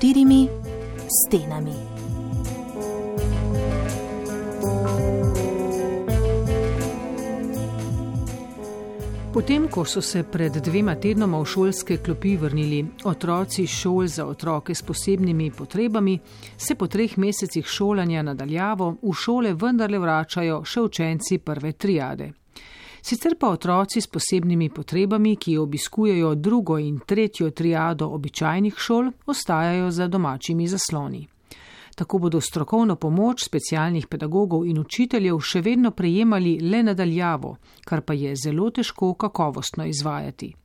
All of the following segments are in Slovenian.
štirimi stenami. Potem, ko so se pred 2 tednoma v šolske klopi vrnili otroci šol za otroke s posebnimi potrebami, se po 3 mesecih šolanja nadaljavo v šole vendarle vračajo še učenci prve triade. Sicer pa otroci s posebnimi potrebami, ki obiskujejo 2. in 3. triado običajnih šol, ostajajo za domačimi zasloni. Tako bodo strokovno pomoč specialnih pedagogov in učiteljev še vedno prejemali le nadaljavo, kar pa je zelo težko kakovostno izvajati.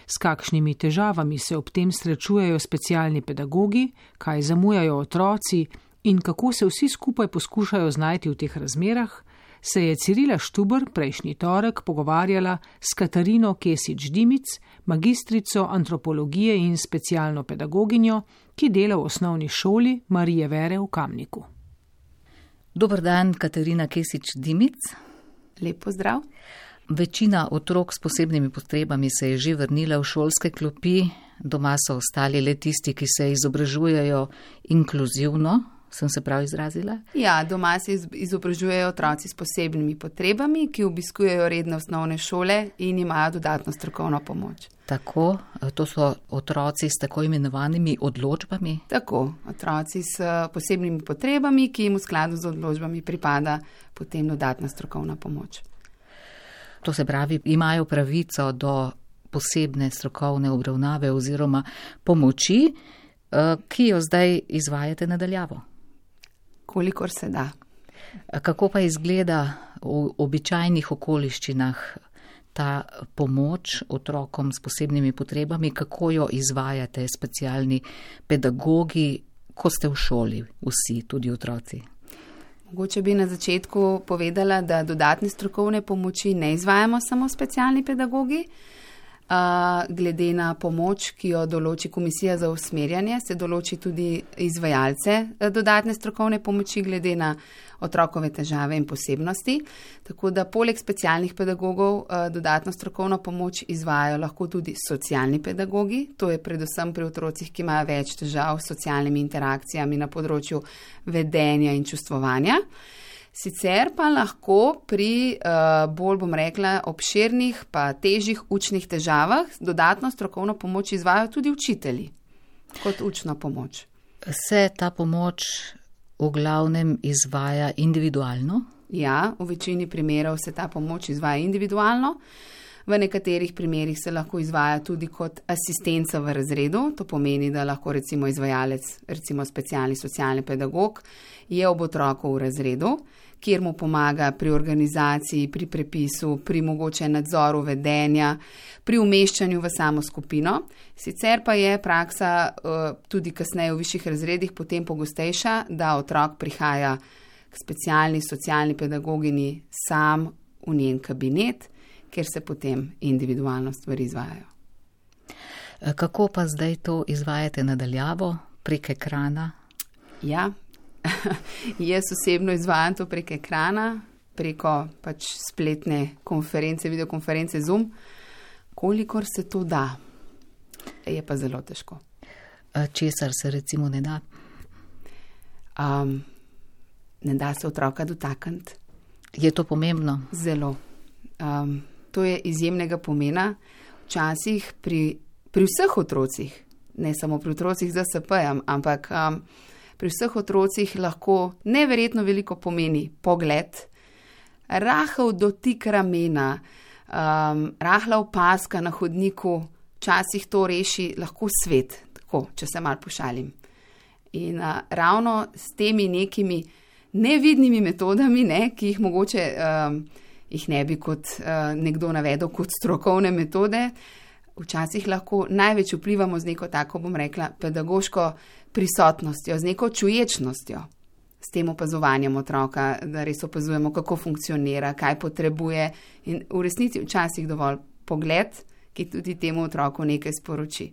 S kakšnimi težavami se ob tem srečujejo specialni pedagogi, kaj zamujajo otroci in kako se vsi skupaj poskušajo znajti v teh razmerah, se je Cirila Štuber prejšnji torek pogovarjala s Katarino Kesič-Dimic, magistrico antropologije in specialno pedagoginjo, ki dela v osnovni šoli Marije Vere v Kamniku. Dober dan, Katarina Kesič-Dimic. Lep pozdrav. Večina otrok s posebnimi potrebami se je že vrnila v šolske klopi, doma so ostali le tisti, ki se izobražujejo inkluzivno. Sem se prav izrazila? Ja, doma se izobražujejo otroci s posebnimi potrebami, ki obiskujejo redne osnovne šole in imajo dodatno strokovno pomoč. Tako, to so otroci s tako imenovanimi odločbami? Tako, otroci s posebnimi potrebami, ki jim v skladu z odločbami pripada potem dodatna strokovna pomoč. To se pravi, imajo pravico do posebne strokovne obravnave oziroma pomoči, ki jo zdaj izvajate nadaljavo. Kolikor se da. Kako pa izgleda v običajnih okoliščinah ta pomoč otrokom s posebnimi potrebami, kako jo izvajate specialni pedagogi, ko ste v šoli, vsi, tudi otroci? Mogoče bi na začetku povedala, da dodatne strokovne pomoči ne izvajamo samo specialni pedagogi. Glede na pomoč, ki jo določi Komisija za usmerjanje, se določi tudi izvajalce dodatne strokovne pomoči glede na otrokove težave in posebnosti. Tako da poleg specialnih pedagogov dodatno strokovno pomoč izvajajo lahko tudi socialni pedagogi. To je predvsem pri otrocih, ki imajo več težav s socialnimi interakcijami na področju vedenja in čustvovanja. Sicer pa lahko pri bolj, bom rekla, obširnih pa težjih učnih težavah dodatno strokovno pomoč izvajajo tudi učitelji kot učno pomoč. Se ta pomoč v glavnem izvaja individualno? Ja, v večini primerov se ta pomoč izvaja individualno. V nekaterih primerih se lahko izvaja tudi kot asistenca v razredu. To pomeni, da lahko recimo izvajalec, recimo specialni socialni pedagog, je ob otroku v razredu, kjer mu pomaga pri organizaciji, pri prepisu, pri mogoče nadzoru vedenja, pri umeščanju v samo skupino. Sicer pa je praksa tudi kasneje v višjih razredih potem pogostejša, da otrok prihaja k specialni socialni pedagogini sam v njen kabinet, kjer se potem individualno stvari izvajajo. Kako pa zdaj to izvajate nadaljavo prek ekrana? Ja, jaz osebno izvajam to prek ekrana, preko pač spletne konference, videokonference Zoom, kolikor se to da. Je pa zelo težko. Česar se recimo ne da? Ne da se otroka dotakniti. Je to pomembno? Zelo. To je izjemnega pomena. Včasih pri vseh otrocih, ne samo pri otrocih z DSP-jem, ampak pri vseh otrocih lahko neverjetno veliko pomeni pogled, rahel dotik ramena, rahla opazka na hodniku, včasih to reši lahko svet, tako, če se malo pošalim. In ravno s temi nekimi nevidnimi metodami, ki jih mogoče jih ne bi kot nekdo navedel kot strokovne metode, včasih lahko največ vplivamo z neko tako, bom rekla, pedagoško prisotnostjo, z neko čuječnostjo, s tem opazovanjem otroka, da res opazujemo, kako funkcionira, kaj potrebuje in v resnici včasih dovolj pogled, ki tudi temu otroku nekaj sporoči.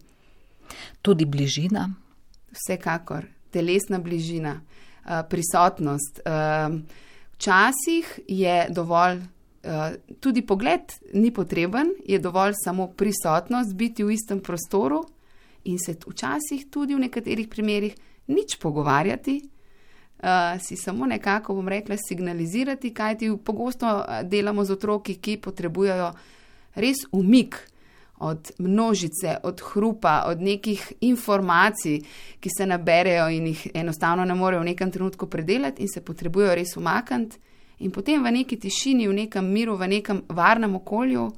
Tudi bližina? Vsekakor, telesna bližina, prisotnost. Včasih je dovolj, tudi pogled ni potreben, je dovolj samo prisotnost, biti v istem prostoru in se včasih tudi v nekaterih primerih nič pogovarjati, si samo nekako, bom rekla, signalizirati, kajti pogosto delamo z otroki, ki potrebujejo res umik od množice, od hrupa, od nekih informacij, ki se naberejo in jih enostavno ne morejo v nekem trenutku predelati in se potrebujejo res umakniti in potem v neki tišini, v nekem miru, v nekem varnem okolju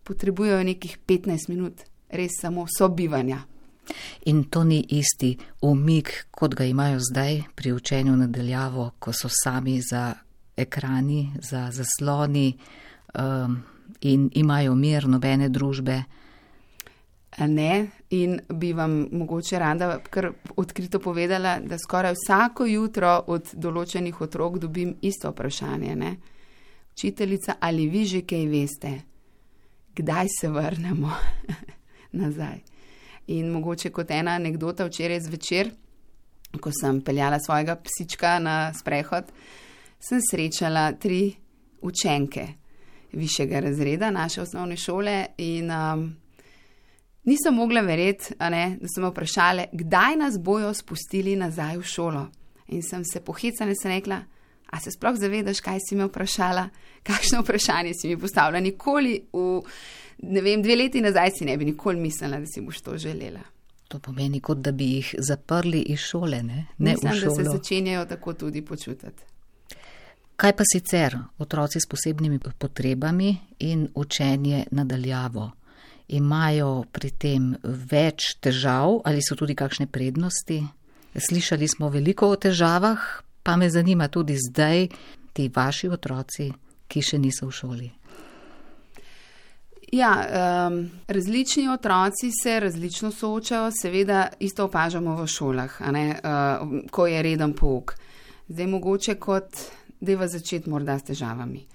potrebujejo nekih 15 minut res samo sobivanja. In to ni isti umik, kot ga imajo zdaj pri učenju nadaljavo, ko so sami za ekrani, za zasloni in imajo mir, nobene družbe. Ne, in bi vam mogoče rada kar odkrito povedala, da skoraj vsako jutro od določenih otrok dobim isto vprašanje. Ne? Učiteljica, ali vi že kaj veste? Kdaj se vrnemo nazaj? In mogoče kot ena anekdota včeraj zvečer, ko sem peljala svojega psička na sprehod, sem srečala 3 učenke višjega razreda naše osnovne šole in nisem mogla verjeti, da so me vprašale, kdaj nas bojo spustili nazaj v šolo. In sem se pohecala in sem rekla, a se sploh zavedaš, kaj si me vprašala, kakšno vprašanje si mi postavila, nikoli v 2 leti nazaj si ne bi nikoli mislila, da si boš to želela. To pomeni, kot da bi jih zaprli iz šole, ne Mislim, v šolo. da se začenjajo tako tudi počutiti. Kaj pa sicer otroci s posebnimi potrebami in učenje nadaljavo? Imajo pri tem več težav ali so tudi kakšne prednosti? Slišali smo veliko o težavah, pa me zanima tudi zdaj ti vaši otroci, ki še niso v šoli. Ja, različni otroci se različno soočajo, seveda isto opažamo v šolah, ko je reden pouk. Zdaj mogoče dajva začeti morda s težavami.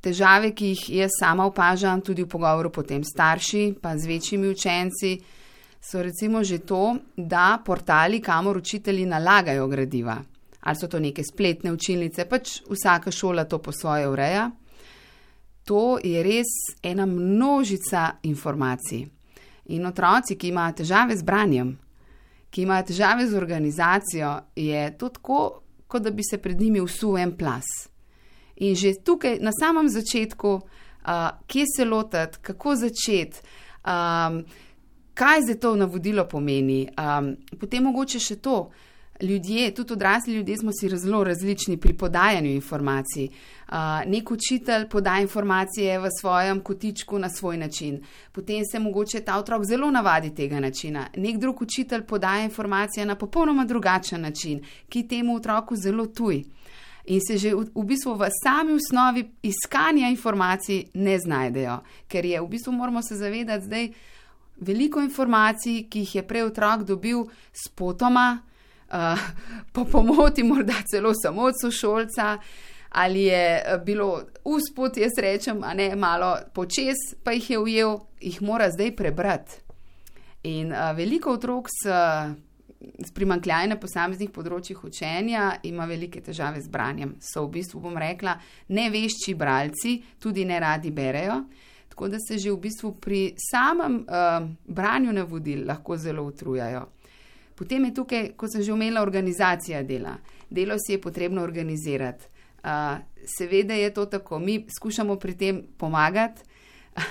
Težave, ki jih jaz sama opažam tudi v pogovoru potem starši, pa z večjimi učenci, so recimo že to, da portali, kamor učitelji nalagajo gradiva. Ali so to neke spletne učilnice, pač vsaka šola to po svoje ureja. To je res ena množica informacij. In otroci, ki imajo težave z branjem, ki imajo težave z organizacijo, je to tako, kot da bi se pred njimi vsul en plaz. In že tukaj na samem začetku, kje se lotiti, kako začeti, kaj zdaj to navodilo pomeni. Potem mogoče še to, ljudje, tudi odrasli ljudje smo si zelo različni pri podajanju informacij. Nek učitelj podaja informacije v svojem kotičku na svoj način. Potem se mogoče ta otrok zelo navadi tega načina. Nek drug učitelj podaja informacije na popolnoma drugačen način, ki temu otroku zelo tuj. In se že v bistvu v sami osnovi iskanja informacij ne znajdejo. Ker je v bistvu, moramo se zavedati zdaj, veliko informacij, ki jih je prej otrok dobil spotoma, po pomoti morda celo samo od sošolca, ali je bilo usput, jaz rečem, malo počez, pa jih je ujel, jih mora zdaj prebrati. In veliko otrok s primanjkljajem na posameznih področjih učenja ima velike težave z branjem. So v bistvu, bom rekla, nevešči bralci, tudi ne radi berejo, tako da se že v bistvu pri samem branju navodil lahko zelo utrujajo. Potem je tukaj, kot sem že omenila, organizacija dela. Delo si je potrebno organizirati. Seveda je to tako, mi skušamo pri tem pomagati,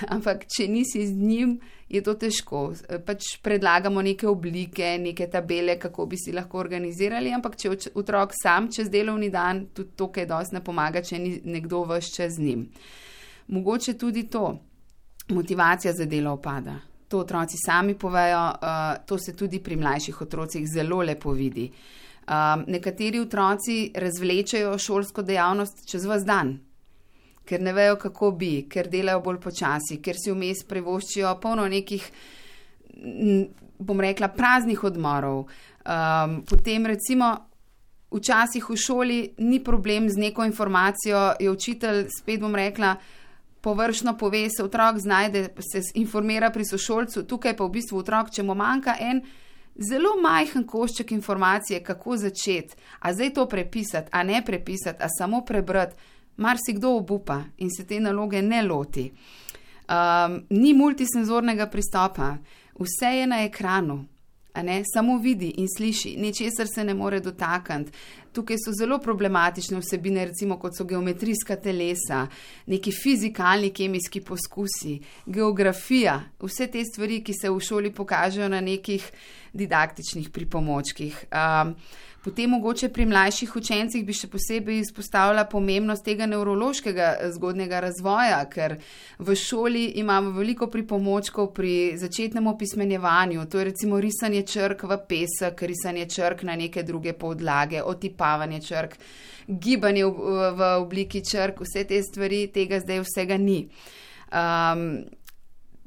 ampak če nisi z njim, je to težko. Pač predlagamo neke oblike, neke tabele, kako bi si lahko organizirali, ampak če otrok sam čez delovni dan, tudi to, kaj dosti ne pomaga, če ni nekdo ves čas z njim. Mogoče tudi to, motivacija za delo upada. To otroci sami povejo, to se tudi pri mlajših otrocih zelo lepo vidi. Nekateri otroci razvlečejo šolsko dejavnost čez ves dan, ker ne vejo, kako bi, ker delajo bolj počasi, ker si vmes privoščijo polno nekih, bom rekla, praznih odmorov. Potem recimo včasih v šoli ni problem z neko informacijo, je učitelj, spet bom rekla, površno pove, se otrok znajde, se informira pri sošolcu, tukaj pa v bistvu otrok, če mu manjka en zelo majhen košček informacije, kako začeti, a zdaj to prepisati, a ne prepisati, a samo prebrati, marsikdo obupa in se te naloge ne loti. Ni multisenzornega pristopa. Vse je na ekranu. Samo vidi in sliši, ničesar se ne more dotakniti. Tukaj so zelo problematične vsebine, recimo kot so geometrijska telesa, neki fizikalni, kemijski poskusi, geografija, vse te stvari, ki se v šoli pokažejo na nekih didaktičnih pripomočkih. Potem mogoče pri mlajših učencih bi še posebej izpostavila pomembnost tega nevrološkega zgodnjega razvoja, ker v šoli imamo veliko pripomočkov pri začetnem opismenjevanju, to je recimo risanje črk v pesek, risanje črk na neke druge podlage, otipavanje črk, gibanje v obliki črk, vse te stvari, tega zdaj vsega ni.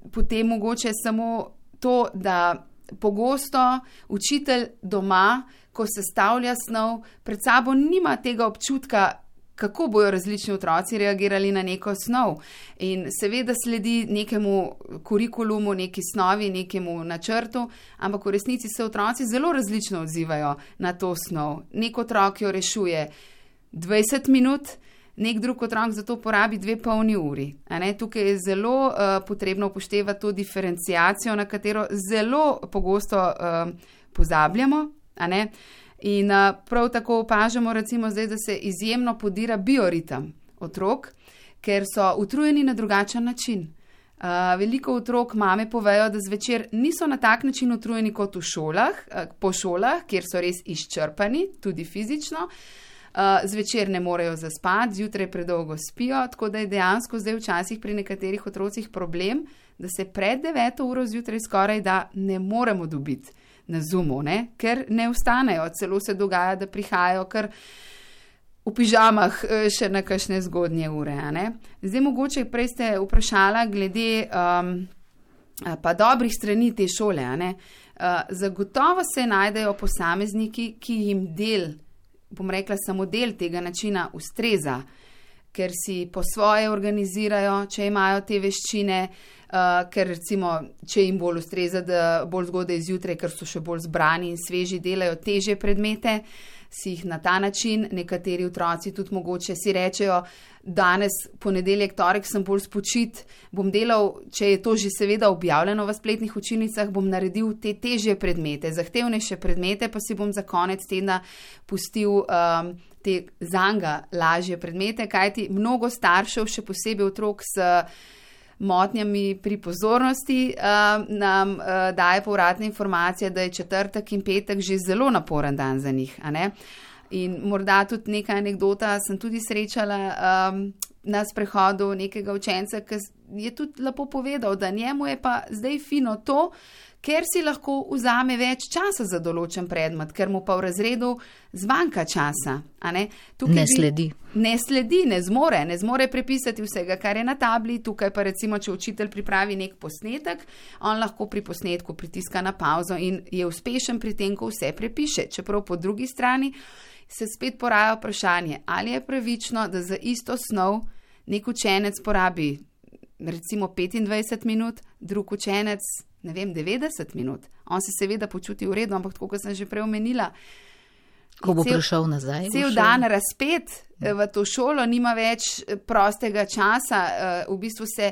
Potem mogoče samo to, da pogosto učitelj doma, ko sestavlja snov, pred sabo nima tega občutka, kako bojo različni otroci reagirali na neko snov. In seveda sledi nekemu kurikulumu, neki snovi, nekemu načrtu, ampak v resnici se otroci zelo različno odzivajo na to snov. Nek otrok jo rešuje 20 minut, nek drug otrok za to porabi 2 polni uri. Tukaj je zelo potrebno upoštevati to diferenciacijo, na katero zelo pogosto pozabljamo. In prav tako opažamo recimo zdaj, da se izjemno podira bioritem otrok, ker so utrujeni na drugačen način. Veliko otrok mame povejo, da zvečer niso na tak način utrujeni kot v šolah, po šolah, kjer so res izčrpani, tudi fizično. Zvečer ne morejo zaspati, zjutraj predolgo spijo, tako da je dejansko zdaj včasih pri nekaterih otrocih problem, da se pred 9 uro zjutraj skoraj da ne moremo dobiti na Zoomu, ker ne vstanejo. Celo se dogaja, da prihajajo kar v pižamah še na kakšne zgodnje ure. Zdaj mogoče prej ste vprašala glede pa dobrih strani te šole. Zagotovo se najdejo posamezniki, ki jim bom rekla samo del tega načina ustreza, ker si po svoje organizirajo, če imajo te veščine, ker recimo, če jim bolj ustreza, da bolj zgodaj zjutraj, ker so še bolj zbrani in sveži, delajo težje predmete, si jih na ta način, nekateri otroci tudi mogoče si rečejo, danes, ponedeljek, torek sem bolj spočit, bom delal, če je to že seveda objavljeno v spletnih učilnicah, bom naredil te težje predmete, zahtevnejše predmete, pa si bom za konec tedna pustil te zanga lažje predmete, kajti mnogo staršev, še posebej otrok s motnjami pri pozornosti, nam daje povratne informacije, da je četrtek in petek že zelo naporen dan za njih. In morda tudi neka anekdota, sem tudi srečala na sprehodu nekega učenca, ki je tudi lepo povedal, da njemu je pa zdaj fino to, ker si lahko vzame več časa za določen predmet, ker mu pa v razredu zmanjka časa. Ne zmore prepisati vsega, kar je na tabli. Tukaj pa recimo, če učitelj pripravi nek posnetek, on lahko pri posnetku pritiska na pauzo in je uspešen pri tem, ko vse prepiše. Čeprav po drugi strani se spet poraja vprašanje, ali je pravično, da za isto snov nek učenec porabi recimo 25 minut, drug učenec 90 minut. On se seveda počuti v redu, ampak tako, kot sem že prej omenila, ko bo prišel nazaj, cel dan razpet v to šolo, nima več prostega časa, v bistvu se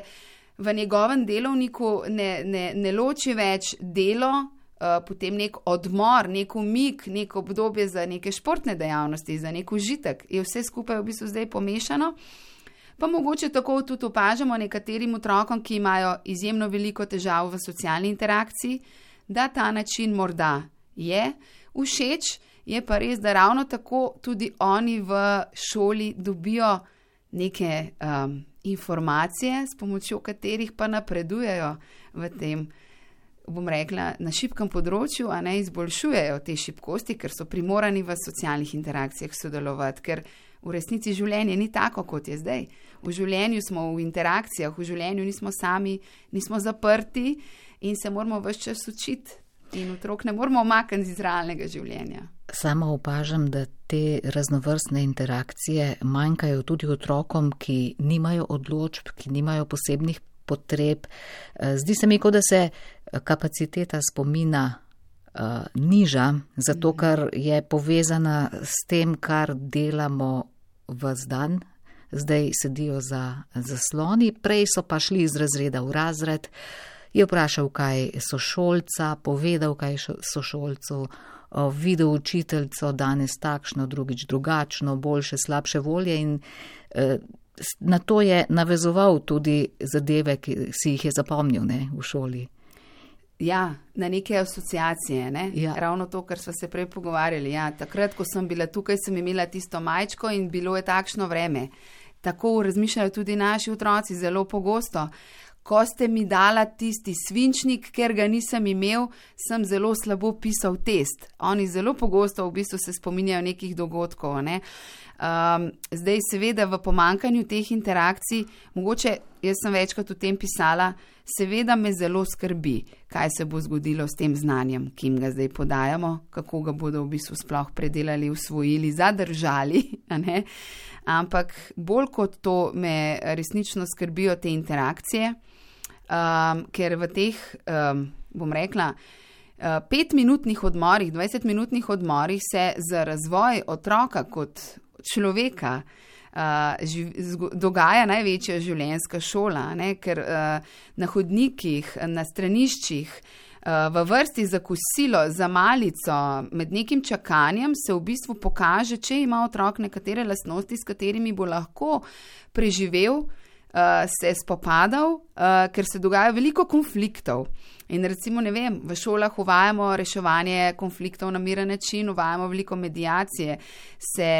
v njegovem delovniku ne loči več delo, potem nek odmor, nek umik, nek obdobje za neke športne dejavnosti, za nek užitek. Je vse skupaj v bistvu zdaj pomešano. Pa mogoče tako tudi opažamo nekaterim otrokom, ki imajo izjemno veliko težav v socialni interakciji, da ta način morda je všeč, je pa res, da ravno tako tudi oni v šoli dobijo neke informacije, s pomočjo katerih pa napredujejo v tem, bom rekla, na šibkem področju, izboljšujejo te šibkosti, ker so primorani v socialnih interakcijah sodelovati, ker v resnici življenje ni tako, kot je zdaj. V življenju smo v interakcijah, v življenju nismo sami, nismo zaprti in se moramo ves čas učiti. In otrok ne moramo omakniti iz realnega življenja. Sama opažam, da te raznovrstne interakcije manjkajo tudi otrokom, ki nimajo odločb, ki nimajo posebnih potreb. Zdi se mi, kot da se kapaciteta spomina niža, zato ker je povezana s tem, kar delamo ves dan. Zdaj sedijo za zasloni, prej so pa šli iz razreda v razred, je vprašal, kaj sošolca, povedal, kaj sošolcu, videl učiteljico danes takšno, drugič drugačno, boljše, slabše volje in na to je navezoval tudi zadeve, ki si jih je zapomnil, ne, v šoli. Ja, na neke asociacije, ne? Ja. Ravno to, kar sva se prej pogovarjali. Ja, takrat, ko sem bila tukaj, sem imela tisto majčko in bilo je takšno vreme. Tako razmišljajo tudi naši otroci zelo pogosto. Ko ste mi dala tisti svinčnik, ker ga nisem imel, sem zelo slabo pisal test. Oni zelo pogosto v bistvu se spominjajo nekih dogodkov, ne? Zdaj seveda v pomankanju teh interakcij, mogoče jaz sem večkrat o tem pisala, seveda me zelo skrbi, kaj se bo zgodilo s tem znanjem, ki jim ga zdaj podajamo, kako ga bodo v bistvu sploh predelali, usvojili, zadržali, a ne? Ampak bolj kot to me resnično skrbijo te interakcije, ker v teh, bom rekla, 5-minutnih odmorih, 20-minutnih odmorih se za razvoj otroka kot človeka dogaja največja življenjska šola, ne? Ker na hodnikih, na straniščih, v vrsti za kosilo, za malico, med nekim čakanjem se v bistvu pokaže, če ima otrok nekatere lastnosti, s katerimi bo lahko preživel, se spopadal, ker se dogaja veliko konfliktov. In recimo, ne vem, v šolah uvajamo reševanje konfliktov na miren način, uvajamo veliko mediacije, se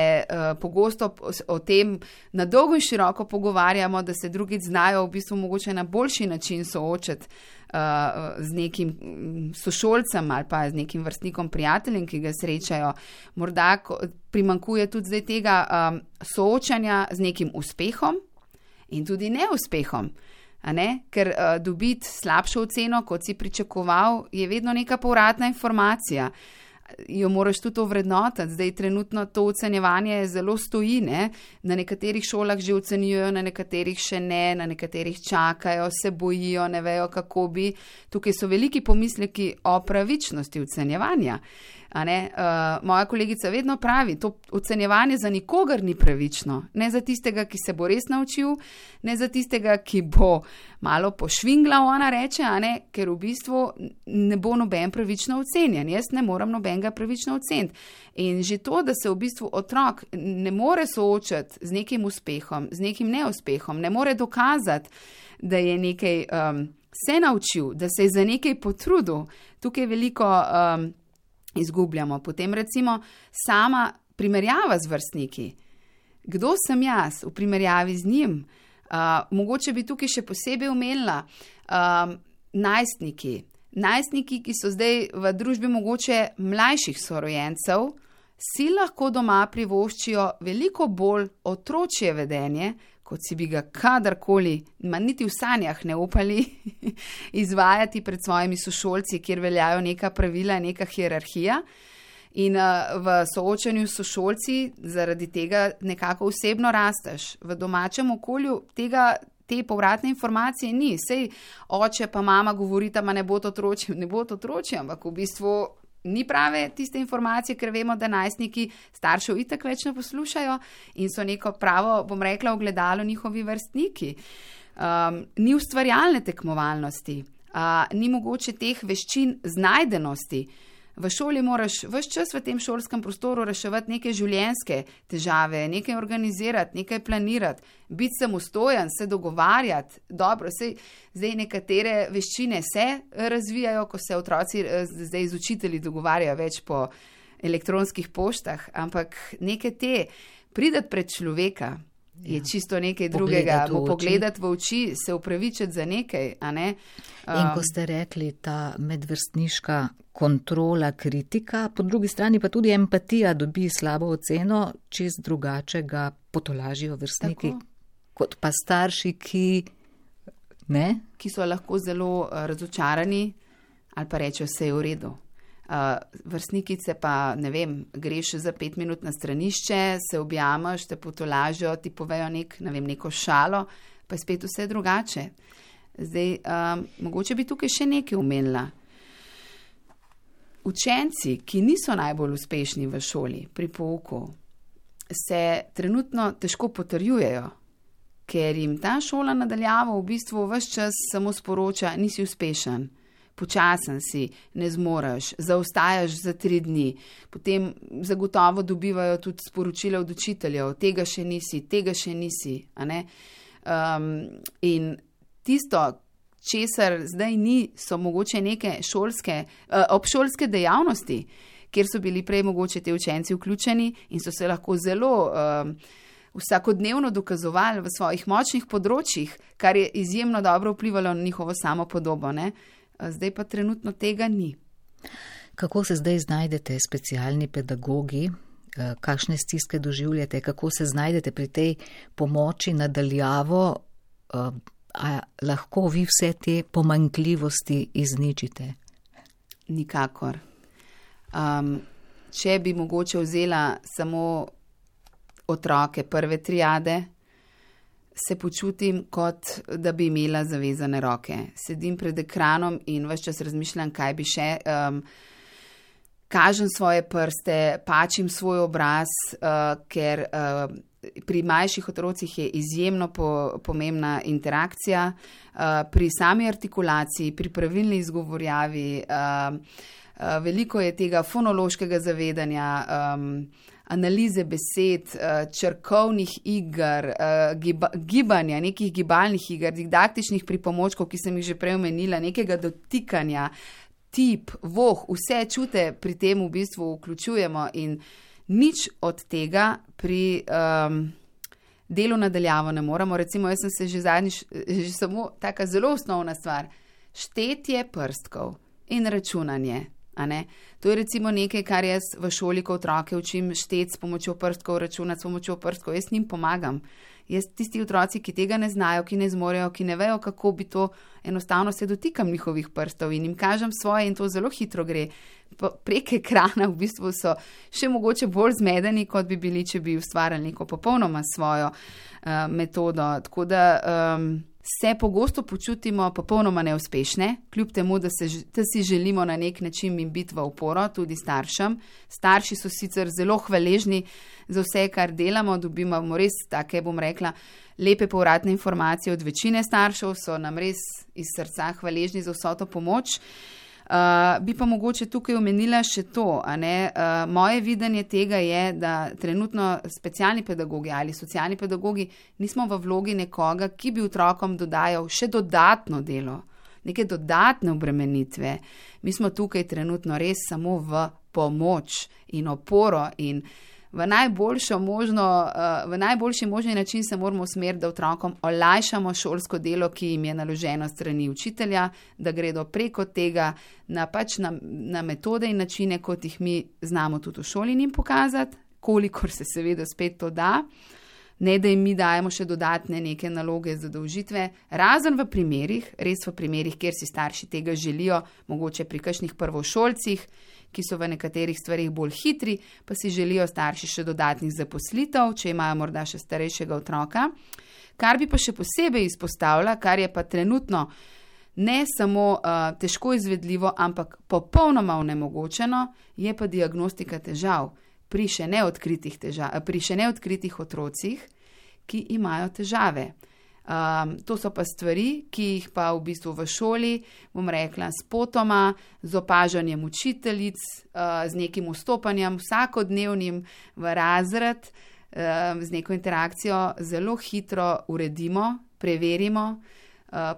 pogosto o tem na dolgo in široko pogovarjamo, da se drugič znajo v bistvu mogoče na boljši način soočati z nekim sošolcem ali pa z nekim vrstnikom prijateljem, ki ga srečajo. Morda primanjkuje tudi zdaj tega soočanja z nekim uspehom in tudi neuspehom. A ne? Ker dobiti slabšo oceno, kot si pričakoval, je vedno neka povratna informacija. Jo moraš tudi ovrednotiti. Zdaj trenutno to ocenjevanje zelo stoji, ne? Na nekaterih šolah že ocenjujejo, na nekaterih še ne, na nekaterih čakajo, se bojijo, ne vejo, kako bi. Tukaj so veliki pomisleki o pravičnosti ocenjevanja. A ne? Moja kolegica vedno pravi, to ocenjevanje za nikogar ni pravično. Ne za tistega, ki se bo res naučil, ne za tistega, ki bo malo pošvingla, ona reče, a ne? Ker v bistvu ne bo noben pravično ocenjen. Jaz ne moram nobenega pravično oceniti. In že to, da se v bistvu otrok ne more soočati z nekim uspehom, z nekim neuspehom, ne more dokazati, da je nekaj se naučil, da se je za nekaj potrudil, tukaj veliko izgubljamo. Potem recimo sama primerjava z vrstniki. Kdo sem jaz v primerjavi z njim? Mogoče bi tukaj še posebej omenila najstniki. Najstniki, ki so zdaj v družbi mogoče mlajših sorojencev, si lahko doma privoščijo veliko bolj otročje vedenje, kot si bi ga kadarkoli, niti v sanjah ne upali izvajati pred svojimi sošolci, kjer veljajo neka pravila, neka hierarhija. In v soočanju s sošolci zaradi tega nekako osebno rasteš. V domačem okolju te povratne informacije ni. Sej oče pa mama govorita, ma ne bo to otročje, ampak v bistvu ni prave tiste informacije, ker vemo, da najstniki staršev itak več ne poslušajo in so neko pravo, bom rekla, ogledalo njihovi vrstniki. Ni ustvarjalne tekmovalnosti, ni mogoče teh veščin znajdenosti. V šoli moraš ves čas v tem šolskem prostoru reševati neke življenjske težave, nekaj organizirati, nekaj planirati, biti samostojen, se dogovarjati. Dobro, zdaj nekatere veščine se razvijajo, ko se otroci zdaj z učitelji dogovarjajo več po elektronskih poštah, ampak neke te pridati pred človeka je čisto nekaj drugega. Pogledati v oči, se upravičiti za nekaj, a ne? In ko ste rekli, ta medvrstniška kontrola, kritika, po drugi strani pa tudi empatija dobi slabo oceno, čist drugače ga potolažijo vrstniki, kot pa starši, ki so lahko zelo razočarani ali pa rečejo, vse je v redu. Vrstnikice pa, ne vem, greš za 5 minut na stranišče, se objameš, te potolažijo, ti povejo neko šalo, pa je spet vse drugače. Zdaj, mogoče bi tukaj še nekaj omenila. Učenci, ki niso najbolj uspešni v šoli pri pouku, se trenutno težko potrjujejo. ker jim ta šola nadaljavo v bistvu ves čas samo sporoča, nisi uspešen, počasen si, ne zmoreš, zaostajaš za 3 dni. Potem zagotovo dobivajo tudi sporočila od učiteljev, tega še nisi, a ne? In tisto, česar zdaj ni, so mogoče neke obšolske dejavnosti, kjer so bili prej mogoče te učenci vključeni in so se lahko zelo vsakodnevno dokazovali v svojih močnih področjih, kar je izjemno dobro vplivalo na njihovo samopodobo, ne? Zdaj pa trenutno tega ni. Kako se zdaj znajdete, specialni pedagogi? Kakšne stiske doživljate? Kako se znajdete pri tej pomoči nadaljavo? A lahko vi vse te pomanjkljivosti izničite? Nikakor. Če bi mogoče vzela samo otroke prve triade, se počutim, kot da bi imela zavezane roke. Sedim pred ekranom in ves čas razmišljam, kaj bi še. Kažem svoje prste, pačim svoj obraz, ker pri mlajših otrocih je izjemno pomembna interakcija, pri sami artikulaciji, pri pravilni izgovorjavi, veliko je tega fonološkega zavedanja, analize besed, črkovnih iger, gibanja, nekih gibalnih iger, didaktičnih pripomočkov, ki sem jih že prej omenila, nekega dotikanja, tip, voh, vse čute pri tem v bistvu vključujemo in nič od tega pri delu nadaljavo ne moremo. Recimo, jaz sem se že zadnjič, že samo taka zelo osnovna stvar, štetje prstkov in računanje. A ne? To je recimo nekaj, kar jaz v šoli, ko otroke učim šteti s pomočjo prstkov, računati s pomočjo prstkov, jaz njim pomagam. Jaz tisti otroci, ki tega ne znajo, ki ne zmorejo, ki ne vejo, kako bi to, enostavno se dotikam njihovih prstov in jim kažem svoje in to zelo hitro gre. Prek ekrana v bistvu so še mogoče bolj zmedeni, kot bi bili, če bi ustvarjali neko popolnoma svojo metodo. Tako da se pogosto počutimo popolnoma neuspešne, kljub temu, da si želimo na nek način jim biti v oporo, tudi staršem. Starši so sicer zelo hvaležni za vse, kar delamo, dobimo res take, bom rekla, lepe povratne informacije od večine staršev, so nam res iz srca hvaležni za vso to pomoč. Bi pa mogoče tukaj omenila še to, a ne, moje videnje tega je, da trenutno specialni pedagogi ali socialni pedagogi nismo v vlogi nekoga, ki bi otrokom dodajal še dodatno delo, neke dodatne obremenitve. Mi smo tukaj trenutno res samo v pomoč in oporo in v najboljši možni način se moramo usmeriti, da otrokom olajšamo šolsko delo, ki jim je naloženo strani učitelja, da gredo preko tega na metode in načine, kot jih mi znamo tudi v šoli njim pokazati, kolikor se seveda spet to da, ne da jim mi dajemo še dodatne neke naloge, zadolžitve, razen v primerih, res v primerih, kjer si starši tega želijo, mogoče pri kakšnih prvošolcih, ki so v nekaterih stvarih bolj hitri, pa si želijo starši še dodatnih zaposlitev, če imajo morda še starejšega otroka. Kar bi pa še posebej izpostavila, kar je pa trenutno ne samo težko izvedljivo, ampak popolnoma onemogočeno, je pa diagnostika težav pri še neodkritih otrocih, ki imajo težave. To so pa stvari, ki jih pa v bistvu v šoli, bom rekla, spotoma, z opažanjem učiteljic, z nekim vstopanjem vsakodnevnim v razred, z neko interakcijo zelo hitro uredimo, preverimo,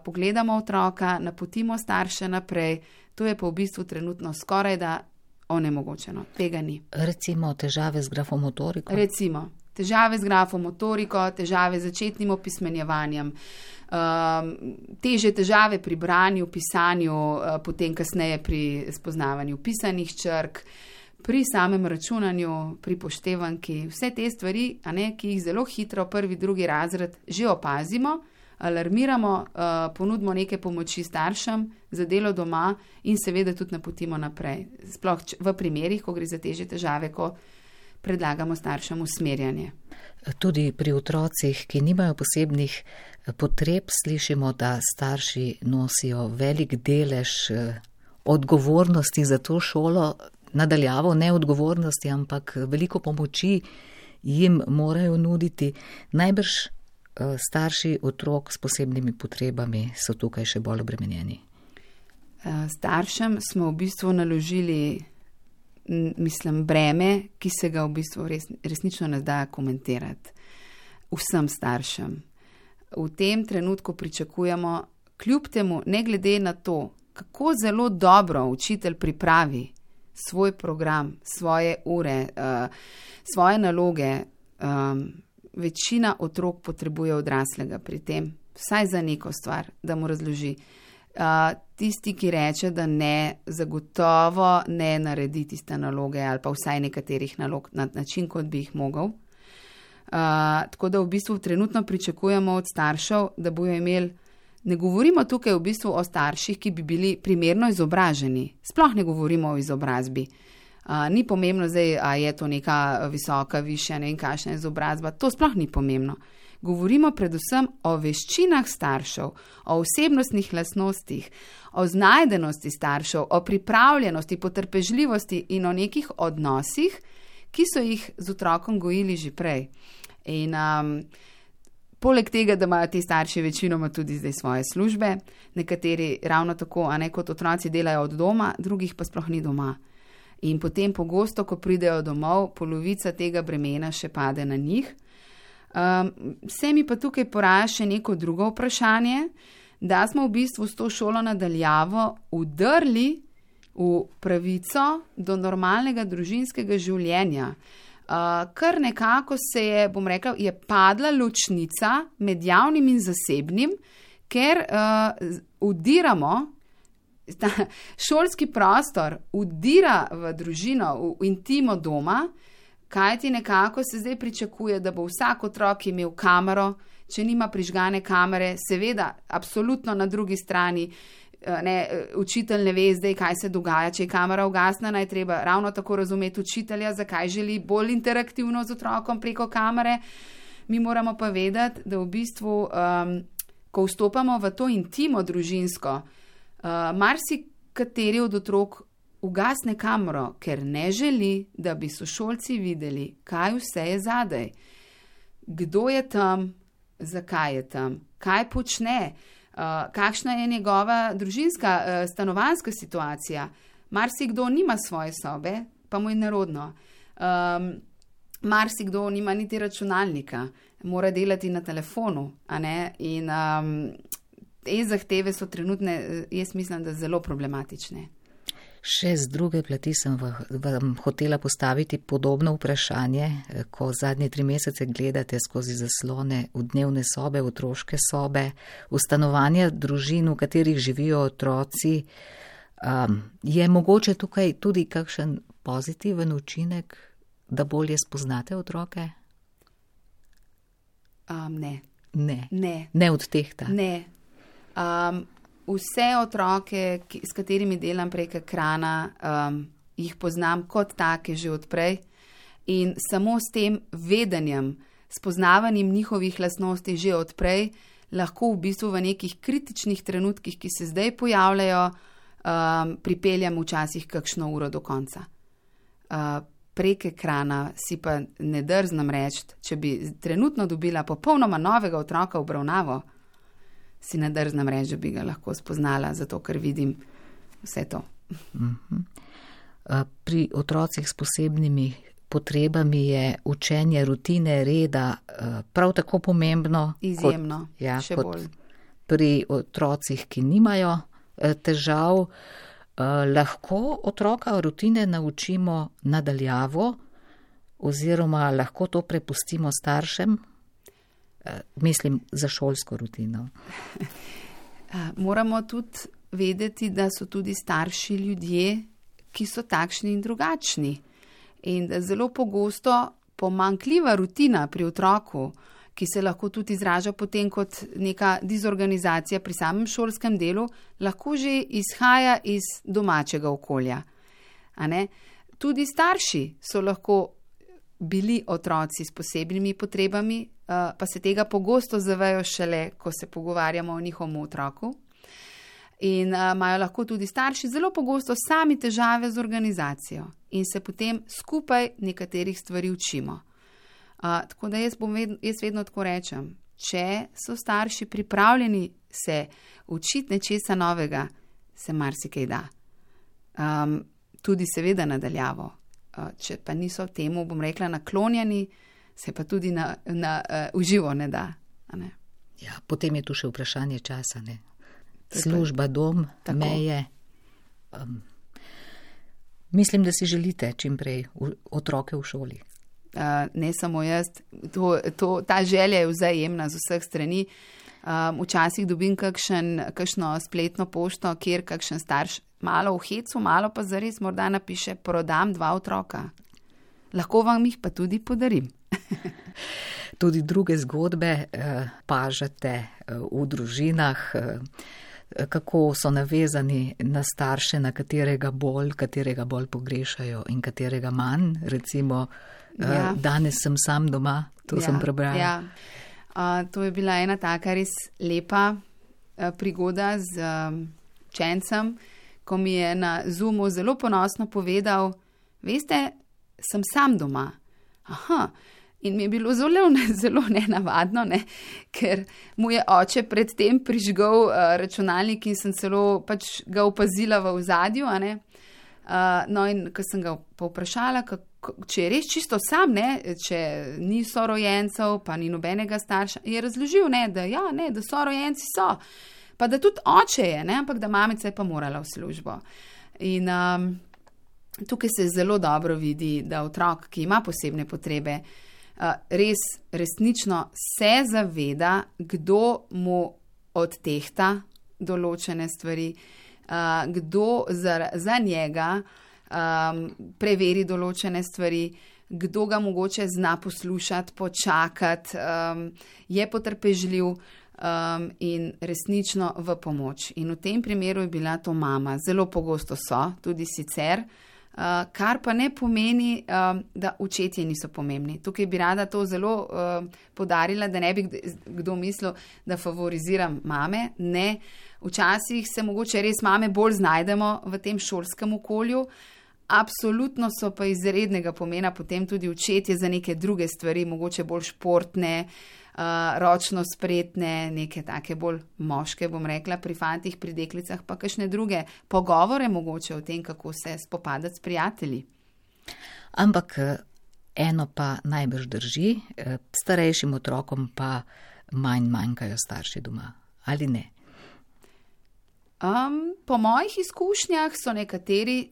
pogledamo otroka, napotimo starše naprej. To je pa v bistvu trenutno skoraj da onemogočeno. Tega ni. Recimo težave z grafomotoriko? Recimo. Težave z grafomotoriko, težave z začetnim opismenjevanjem, težje težave pri branju, pisanju, potem kasneje pri spoznavanju pisanih črk, pri samem računanju, pri poštevanki, vse te stvari, a ne, ki jih zelo hitro prvi, drugi razred že opazimo, alarmiramo, ponudimo neke pomoči staršem za delo doma in seveda tudi napotimo naprej. Sploh v primerih, ko gre za težje težave, ko predlagamo staršem usmerjanje. Tudi pri otrocih, ki nimajo posebnih potreb, slišimo, da starši nosijo velik delež odgovornosti za to šolo, nadaljavo ne odgovornosti, ampak veliko pomoči jim morajo nuditi. Najbrž starši otrok s posebnimi potrebami so tukaj še bolj obremenjeni? Staršem smo v bistvu naložili, breme, ki se ga v bistvu resnično ne da komentirati. Vsem staršem. V tem trenutku pričakujemo, kljub temu, ne glede na to, kako zelo dobro učitelj pripravi svoj program, svoje ure, svoje naloge, večina otrok potrebuje odraslega pri tem, vsaj za neko stvar, da mu razloži. Tisti, ki reče, da ne, zagotovo ne naredi tiste naloge ali pa vsaj nekaterih nalog na način, kot bi jih mogel. Tako da v bistvu trenutno pričakujemo od staršev, da bojo imeli, ne govorimo tukaj v bistvu o starših, ki bi bili primerno izobraženi, sploh ne govorimo o izobrazbi. Ni pomembno zdaj, a je to neka visoka, višja, ne vem kakšna izobrazba, to sploh ni pomembno. Govorimo predvsem o veščinah staršev, o osebnostnih lastnostih, o znajdenosti staršev, o pripravljenosti, potrpežljivosti in o nekih odnosih, ki so jih z otrokom gojili že prej. In poleg tega, da imajo ti starši večinoma tudi zdaj svoje službe, nekateri ravno tako, a ne kot otroci delajo od doma, drugih pa sploh ni doma. In potem pogosto, ko pridejo domov, polovica tega bremena še pade na njih. Se mi pa tukaj poraja še neko drugo vprašanje, da smo v bistvu s to šolo nadaljavo udrli v pravico do normalnega družinskega življenja. Kar nekako se je, bom rekla, je padla ločnica med javnim in zasebnim, ker udiramo, šolski prostor udira v družino, v intimo doma, kajti nekako se zdaj pričakuje, da bo vsak otrok imel kamero, če nima prižgane kamere, seveda, absolutno na drugi strani, učitelj ne ve zdaj, kaj se dogaja, če je kamera ugasnjena, je treba ravno tako razumeti učitelja, zakaj želi bolj interaktivno z otrokom preko kamere. Mi moramo pa vedeti, da v bistvu, ko vstopamo v to intimo družinsko, marsikateri od otrok ugasne kamero, ker ne želi, da bi sošolci videli, kaj vse je zadaj. Kdo je tam, zakaj je tam, kaj počne, kakšna je njegova družinska, stanovanjska situacija. Marsikdo nima svoje sobe, pa mu je nerodno. Marsikdo nima niti računalnika, mora delati na telefonu, a ne? In te zahteve so trenutne, jaz mislim, da zelo problematične. Še z druge plati sem vam hotela postaviti podobno vprašanje, ko zadnje 3 mesece gledate skozi zaslone v dnevne sobe, v otroške sobe, v stanovanja družin, v katerih živijo otroci. Je mogoče tukaj tudi kakšen pozitiven učinek, da bolje spoznate otroke? Ne. Ne od tehta? Ne. Vse otroke, s katerimi delam prek ekrana, jih poznam kot take že odprej in samo s tem vedenjem, spoznavanjem njihovih lastnosti že odprej, lahko v bistvu v nekih kritičnih trenutkih, ki se zdaj pojavljajo, pripeljem včasih kakšno uro do konca. Prek ekrana si pa ne drznem reči, če bi trenutno dobila popolnoma novega otroka v obravnavo, si ne drznem reči, da bi ga lahko spoznala, zato ker vidim vse to. Pri otrocih s posebnimi potrebami je učenje rutine, reda prav tako pomembno. Izjemno, še bolj. Pri otrocih, ki nimajo težav, lahko otroka rutine naučimo nadaljavo oziroma lahko to prepustimo staršem. Mislim za šolsko rutino. Moramo tudi vedeti, da so tudi starši ljudje, ki so takšni in drugačni. In da zelo pogosto pomanjkljiva rutina pri otroku, ki se lahko tudi izraža potem kot neka dizorganizacija pri samem šolskem delu, lahko že izhaja iz domačega okolja. Tudi starši so lahko bili otroci s posebnimi potrebami, pa se tega pogosto zavejo šele, ko se pogovarjamo o njihovem otroku. In imajo lahko tudi starši zelo pogosto sami težave z organizacijo in se potem skupaj nekaterih stvari učimo. Tako da jaz vedno tako rečem, če so starši pripravljeni se učiti nečesa novega, se marsikaj da. Tudi seveda nadaljavo. Če pa niso temu, bom rekla, naklonjeni, se pa tudi uživo ne da. Ne? Ja, potem je tu še vprašanje časa, ne? Služba, dom, tako. Meje. Mislim, da si želite čim prej otroke v šoli. Ne samo jaz, ta želja je vzajemna z vseh strani. Včasih dobim kakšno spletno pošto, kjer kakšen starš malo v hecu, malo pa zares morda napiše, prodam 2 otroka. Lahko vam jih pa tudi podarim. Tudi druge zgodbe pažate v družinah, kako so navezani na starše, na katerega bolj pogrešajo in katerega manj. Recimo, danes sem sam doma, sem prebrala. Ja. To je bila ena taka res lepa prigoda z učencem, ko mi je na Zoomu zelo ponosno povedal, veste, sem sam doma. Aha. In mi je bilo zelo nenavadno, ne? Ker mu je oče predtem prižgal računalnik in sem celo pač ga opazila v ozadju. No in ko sem ga povprašala, če je res čisto sam, ne? Če ni sorojencev, pa ni nobenega starša, je razložil, da sorojenci so, pa da tudi oče je, ne? Ampak da mamica je pa morala v službo. In tukaj se zelo dobro vidi, da otrok, ki ima posebne potrebe, resnično se zaveda, kdo mu odtehta določene stvari, kdo za njega preveri določene stvari, kdo ga mogoče zna poslušati, počakati, je potrpežljiv in resnično v pomoč. In v tem primeru je bila to mama. Zelo pogosto so, tudi sicer, kar pa ne pomeni, da očetje niso pomembni. Tukaj bi rada to zelo poudarila, da ne bi kdo mislil, da favoriziram mame. Ne, včasih se mogoče res mame bolj znajdemo v tem šolskem okolju. Absolutno so pa izrednega pomena potem tudi očetje za neke druge stvari, mogoče bolj športne, ročno spretne, neke take bolj moške, bom rekla, pri fantih, pri deklicah, pa kakšne druge pogovore mogoče o tem, kako se spopadati s prijatelji. Ampak eno pa najbrž drži, starejšim otrokom pa manjkajo starši doma, ali ne? Po mojih izkušnjah so nekateri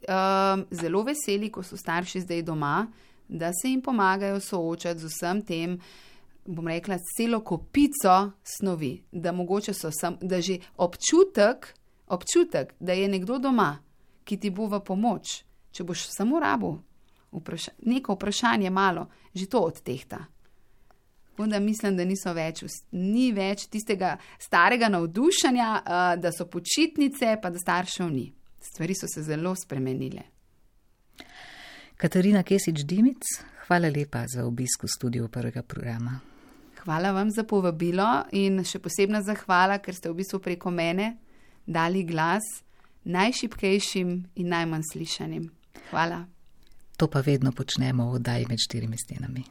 zelo veseli, ko so starši zdaj doma, da se jim pomagajo soočati z vsem tem, bom rekla, celo kopico snovi, da mogoče da že občutek, da je nekdo doma, ki ti bo v pomoč, če boš samo rabil neko vprašanje malo, že to odtehta. Onda mislim, da ni več tistega starega navdušanja, da so počitnice, pa da staršev ni. Stvari so se zelo spremenile. Katarina Kesič-Dimic, hvala lepa za obisk v studiu Prvega programa. Hvala vam za povabilo in še posebna zahvala, ker ste v bistvu preko mene dali glas najšibkejšim in najmanj slišanim. Hvala. To pa vedno počnemo v oddaji Med štirimi stenami.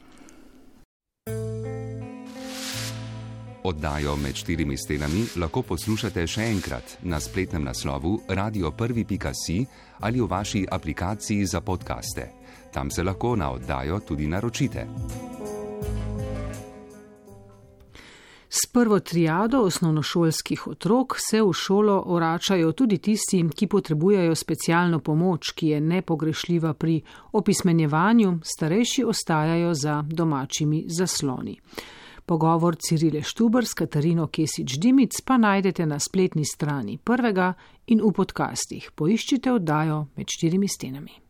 Oddajo Med štirimi stenami lahko poslušate še enkrat na spletnem naslovu radio1.si ali v vaši aplikaciji za podcaste. Tam se lahko na oddajo tudi naročite. S prvo triado osnovnošolskih otrok se v šolo vračajo tudi tisti, ki potrebujejo specialno pomoč, ki je nepogrešljiva pri opismenjevanju, starejši ostajajo za domačimi zasloni. Pogovor Cirile Štuber s Katarino Kesič-Dimic pa najdete na spletni strani Prvega in v podcastih. Poiščite oddajo Med štirimi stenami.